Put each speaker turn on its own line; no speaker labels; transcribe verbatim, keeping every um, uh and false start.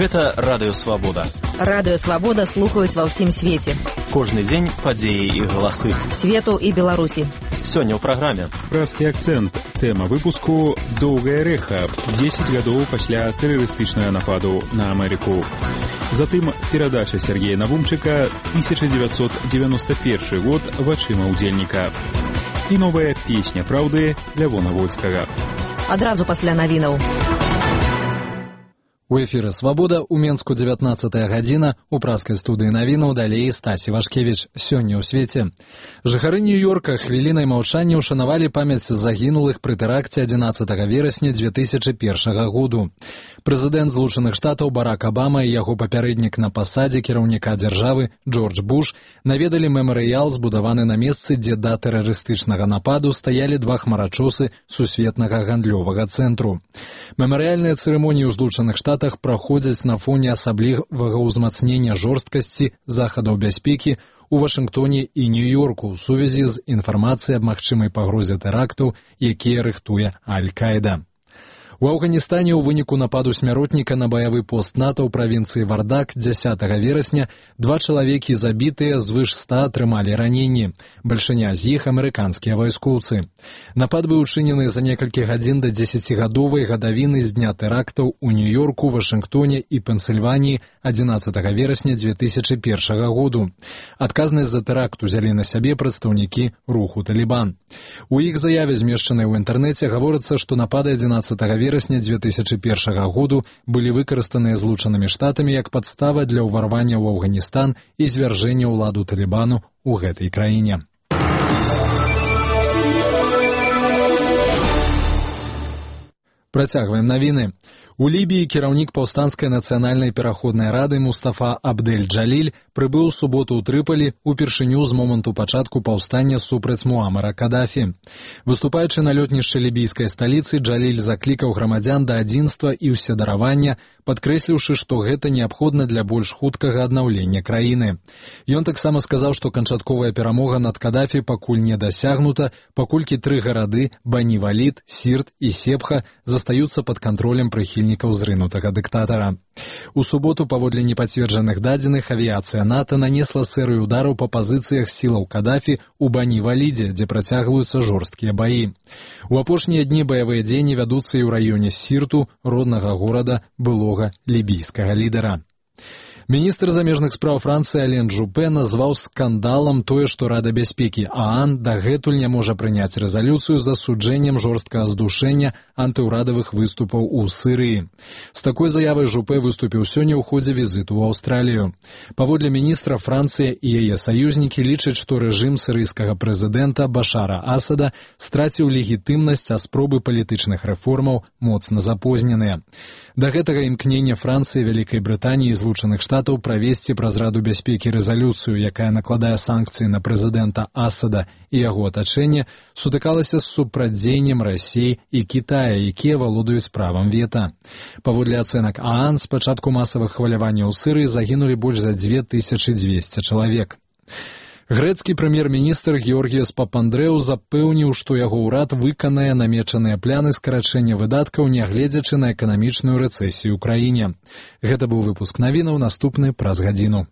Гэта Радыё Свабода.
Радыё Свабода слухаюць ва ўсім свеце.
Кожны дзень падзеі і галасы.
Свету і Беларусі.
Сёння ў праграме.
Празкі акцэнт. Тэма выпуску «Доўгае рэха. дзесяць гадоў пасля тэрарыстычнага нападу на Амерыку». Затым перадача Сергея Навумчыка тысяча девятьсот девяносто первый год вачыма ўдзельніка. І новая песня праўды Лявона Вольскага.
Адразу пасля навінаў.
У эфіры «Свабода» у Менску дзевятнаццатая гадзіна, у праскай студыі навінаў далей Стасі Вашкевіч. Сёння ў свеце. Жыхары Нью-Йорка хвілінай маўчання ўшанавалі памяць загінулых пры тэракце адзінаццатага верасня дзве тысячы першага году. Прэзідэнт Злучаных Штатаў Барак Абама і яго папярэднік на пасадзе кіраўніка дзяржавы Джордж Буш наведалі мемарыял, збудаваны на месцы, дзе да тэрарыстычнага нападу стаялі два хмарачосы сусветнага гандлёвага цэнтру. Мемарыяльныя цырымоніі ў Злучаных Штатах праходзяць на фоне асаблівага ўзмацнення жорсткасці захадаў бяспекі у Вашынгтоне і Нью-Йорку ў сувязі з інфармацыяй аб магчымай пагрозе тэрактаў, якія рыхтуе Аль-Каіда. У Афганістане ў выніку нападу смяротніка на баявы пост НАТО ў правінцыі Вардак дзясятага верасня два чалавекі забітыя, звыш ста атрымалі раненні. Бальшыня з іх амерыканскія вайскоўцы. Напад быў учынены за некалькі гадзін да дзесяцігадовай гадавіны з дня тэрактаў у Нью-Йорку, Вашынгтоне і Пенсільваніі адзінаццатага верасня дзве тысячы першага году. Адказнасць за тэракт узялі на сябе прадстаўнікі руху Талібан. У іх заяве, змешчанай у інтэрнэце, гаворыцца, што напады адзінаццатага верасня дзве тысячы першага году былі выкарыстаныя Злучанымі Штатамі як падстава для ўварвання ў Афганістан і звяржэння ўладу Талібану ў гэтай краіне. Працягваем навіны. У Лібіі кіраўнік паўстанцкай нацыянальнай пераходнай рады Мустафа Абдель-Джаліль прыбыў у суботу ў Трыполі упершыню з моманту пачатку паўстання супраць Муамара Кадафі. Выступаючы на лётнішчы лібійскай сталіцы, Джаліль заклікаў грамадзян да адзінства і ўседаравання, падкрэсліўшы, што гэта неабходна для больш хуткага аднаўлення краіны. Ён таксама сказаў, што канчатковая перамога над Кадафі пакуль не дасягнута, паколькі тры гарады – Бані-Валід, Сірт і Сепха – застаюцца пад кантролем прыхільнікаў зрынутага дыктатара. У суботу, паводле непацверджаных дадзеных, авіяцыя НАТО нанесла серыю удараў па пазіцыях сілаў Кадафі ў Бані-Валідзе, дзе працягваюцца жорсткія баі. У апошнія дні баявыя дзеянні вядуцца і ў раёне Сірту, роднага горада былога лібійскага лідара. Міністр замежных спраў Францыі Ален Жупе назваў скандалам тое, што Рада бяспекі ААН дагэтуль не можа прыняць рэзалюцыю з асуджэннем жорсткага здушэння антыўрадавых выступаў у Сірыі. З такой заявай Жупе выступіў сёння ў ходзе візіту ў Аўстралію. Паводле міністра, Францыя і яе саюзнікі лічаць, што рэжым сірыйскага прэзідэнта Башара Асада страціў легітымнасць, а спробы палітычных рэформаў моцна запозненыя. Да гэтага імкнення Францыі, Вялікай Брытаніі і Злучаных Штатаў правесці праз Раду бяспекі рэзалюцыю, якая накладае санкцыі на прэзідэнта Асада і яго атачэнне, сутыкалася з супрацьдзеяннем Расіі і Кітая, якія валодаюць правам вета. Паводле ацэнак ААН, з пачатку масавых хваляванняў у Сірыі загінулі больш за дзве тысячы дзвесце чалавек. Грэцкі прэм'ер-міністр Георгіяс Папандрэу запэўніў, што яго ўрад выканае намечаныя пляны скарачэння выдаткаў, нягледзячы на эканамічную рэцэсію ў краіне. Гэта быў выпуск навінаў, наступны праз гадзіну.